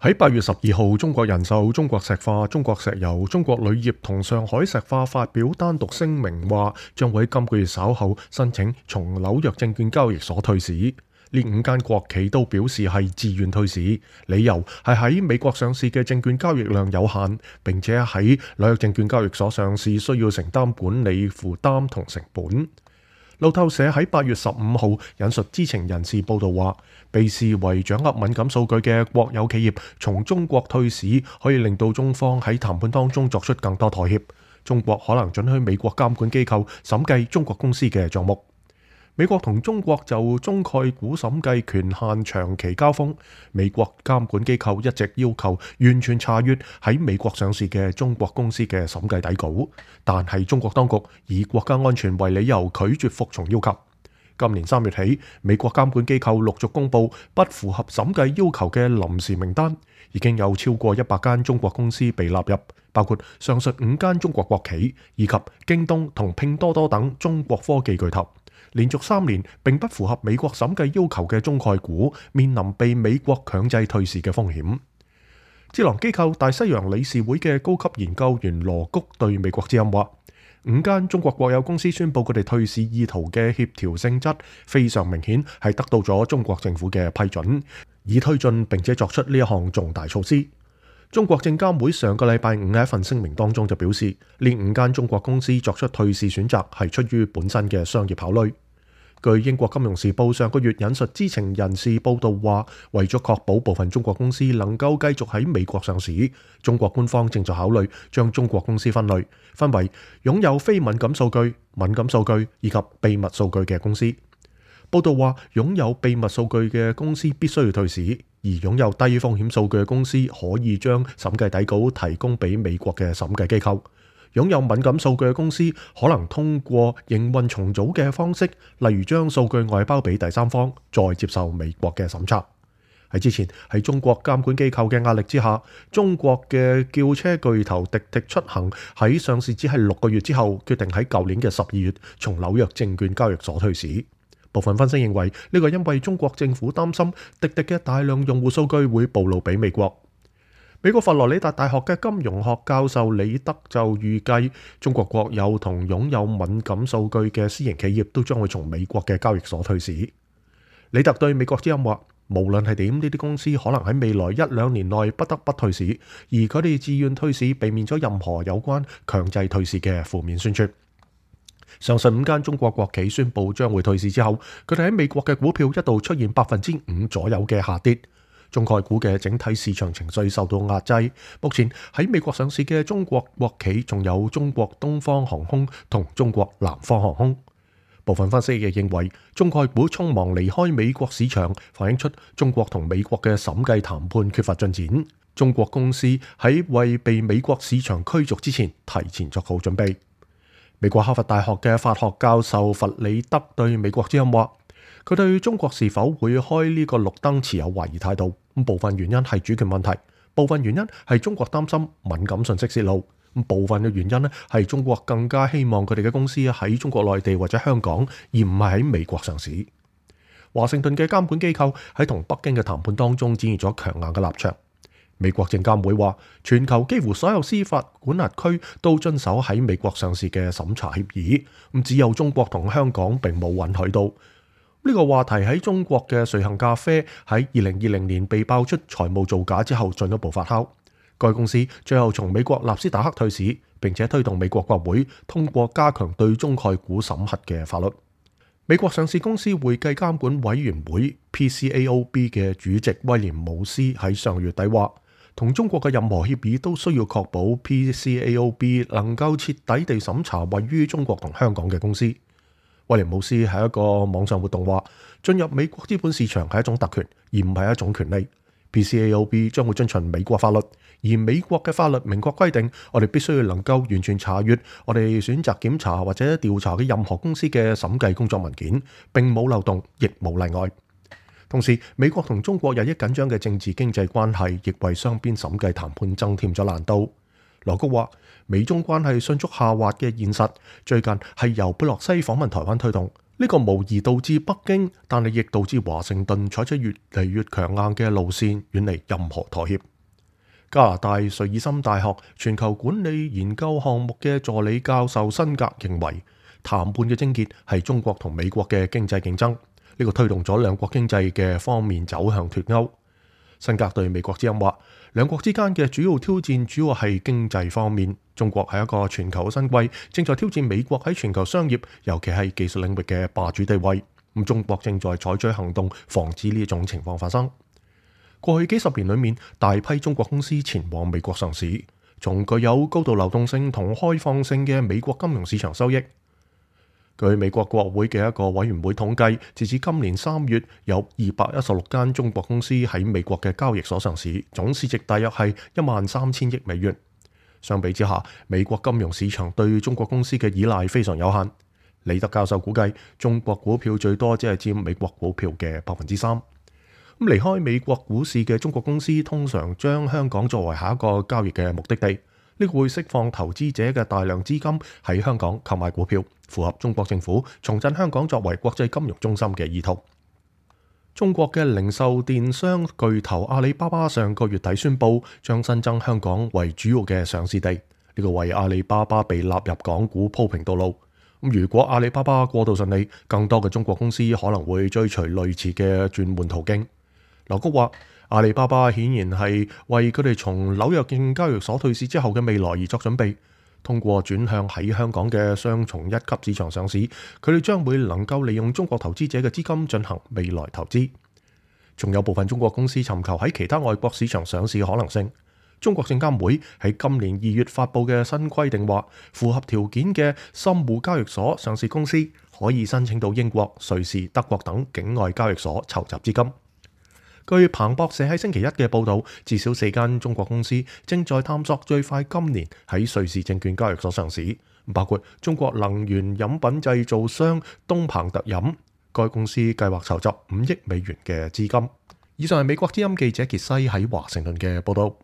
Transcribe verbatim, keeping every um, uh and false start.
喺八月十二號，中國人壽、中國石化、中國石油、中國鋁業同上海石化發表單獨聲明，話將會喺今個月稍後申請從紐約證券交易所退市。呢五間國企都表示係自願退市，理由係喺美國上市嘅證券交易量有限，並且喺紐約證券交易所上市需要承擔管理負擔同成本。路透社喺八月十五號引述知情人士報道話，被視為掌握敏感數據嘅國有企業從中國退市，可以令到中方喺談判當中作出更多妥協。中國可能准許美國監管機構審計中國公司嘅賬目。美國同中國就中概股審計權限長期交鋒，美國監管機構一直要求完全查閱喺美國上市嘅中國公司嘅審計底稿，但係中國當局以國家安全為理由拒絕服從要求。今年三月起，美國監管機構陸續公布不符合審計要求嘅臨時名單，已經有超過一百間中國公司被納入，包括上述五間中國國企以及京東同拼多多等中國科技巨頭。連續三年並不符合美國審計要求嘅中概股，面臨被美國強制退市嘅風險。智囊機構大西洋理事會嘅高級研究員羅谷對美國之音話，五間中國國有公司宣布佢哋退市意圖嘅協調性質非常明顯，係得到咗中國政府嘅批准，以推進並且作出呢一項重大措施。中國證監會上個禮拜五喺一份聲明當中就表示，呢五間中國公司作出退市選擇係出於本身嘅商業考慮。據英國金融時報上個月引述知情人士報道話，為咗確保部分中國公司能夠繼續喺美國上市，中國官方正在考慮將中國公司分類，分為擁有非敏感數據、敏感數據以及秘密數據嘅公司。報道話，擁有秘密數據嘅公司必須要退市，而擁有低風險數據嘅公司可以將審計底稿提供俾美國嘅審計機構。擁有敏感數據嘅公司可能通過營運重組嘅方式，例如將數據外包俾第三方，再接受美國嘅審查。喺之前，喺中國監管機構嘅壓力之下，中國嘅轎車巨頭滴滴出行喺上市只係六個月之後，決定喺舊年嘅十二月從紐約證券交易所退市。部分分析認為，呢個因為中國政府擔心滴滴嘅大量用戶數據會暴露俾美國。美國佛羅里達大學嘅金融學教授李德就預計，中國國有同擁有敏感數據嘅私營企業都將會從美國嘅交易所退市。李德對美國之音話，無論係點，呢啲公司可能喺未來一兩年內不得不退市，而佢哋自願退市，避免咗任何有關強制退市嘅負面宣傳。上述五間中國國企宣布將會退市之後，佢哋喺美國嘅股票一度出現百分之五左右嘅下跌，中概股嘅整體市場情緒受到壓制。目前喺美國上市嘅中國國企仲有中國東方航空同中國南方航空。部分分析亦認為，中概股匆忙離開美國市場，反映出中國同美國嘅審計談判缺乏進展。中國公司喺為被美國市場驅逐之前，提前作好準備。美國哈佛大學嘅法學教授弗里德對美國之音話，佢對中國是否會開呢個綠燈持有懷疑態度。部分原因係主權問題，部分原因係中國擔心敏感信息泄露，部分嘅原因咧係中國更加希望佢哋嘅公司喺中國內地或者香港，而唔係喺美國上市。華盛頓嘅監管機構喺同北京嘅談判當中展現咗強硬嘅立場。美國證監會話，全球幾乎所有司法管轄區都遵守喺美國上市嘅審查協議，咁只有中國同香港並冇允許到。呢個話題喺中國嘅瑞幸咖啡喺二零二零年被爆出財務造假之後進一步發酵。該公司最後從美國納斯達克退市，並且推動美國國會通過加強對中概股審核嘅法律。美國上市公司會計監管委員會 P C A O B 嘅主席威廉姆斯喺上月底話，同中國嘅任何協議都需要確保 P C A O B 能夠徹底地審查位於中國同香港嘅公司。威廉姆斯喺一個網上活動話，進入美國資本市場係一種特權，而唔係一種權利。P C A O B 將會遵循美國法律，而美國嘅法律明確規定，我哋必須要能夠完全查閱我哋選擇檢查或者調查嘅任何公司嘅審計工作文件，並冇漏洞，亦冇例外。同時，美國同中國日益緊張嘅政治經濟關係，亦為雙邊審計談判增添咗難度。羅谷話，美中關係迅速下滑嘅現實，最近係由佩洛西訪問台灣推動。呢個無疑導致北京，但係亦導致華盛頓採取越嚟越強硬嘅路線，遠離任何妥協。加拿大瑞爾森大學全球管理研究項目嘅助理教授辛格認為，談判嘅症結係中國同美國嘅經濟競爭，呢個推動咗兩國經濟嘅方面走向脫鈎。辛格對美國之音話，兩國之間嘅主要挑戰主要係經濟方面。中國係一個全球新貴，正在挑戰美國喺全球商業，尤其係技術領域嘅霸主地位。咁中國正在採取行動，防止呢種情況發生。過去幾十年裏面，大批中國公司前往美國上市，從具有高度流動性同開放性嘅美國金融市場收益。據美國國會嘅一個委員會統計，截至今年三月，有二百一十六間中國公司喺美國嘅交易所上市，總市值大約係一萬三千億美元。相比之下，美國金融市場對中國公司嘅依賴非常有限。李德教授估計，中國股票最多只係佔美國股票嘅百分之三。咁離開美國股市嘅中國公司，通常將香港作為下一個交易嘅目的地。呢個會釋放投資者嘅大量資金喺香港購買股票，符合中國政府重振香港作為國際金融中心嘅意圖。中國嘅零售電商巨頭阿里巴巴上個月底宣布，將新增香港為主要嘅上市地，呢個為阿里巴巴被納入港股鋪平道路。咁如果阿里巴巴過渡順利，更多嘅中國公司可能會追隨類似嘅轉換途徑。劉菊話，阿里巴巴顯然係為佢哋從紐約證券交易所退市之後嘅未來而作準備。通過轉向喺香港嘅雙重一級市場上市，佢哋將會能夠利用中國投資者嘅資金進行未來投資。仲有部分中國公司尋求喺其他外國市場上市嘅可能性。中國證監會喺今年二月發布嘅新規定話，符合條件嘅深滬交易所上市公司可以申請到英國、瑞士、德國等境外交易所籌集資金。據彭博社喺星期一嘅報導，至少四間中國公司正在探索最快今年喺瑞士證券交易所上市，包括中國能源飲品製造商東鵬特飲，該公司計劃籌集五億美元嘅資金。以上係美國之音記者傑西喺華盛頓嘅報導。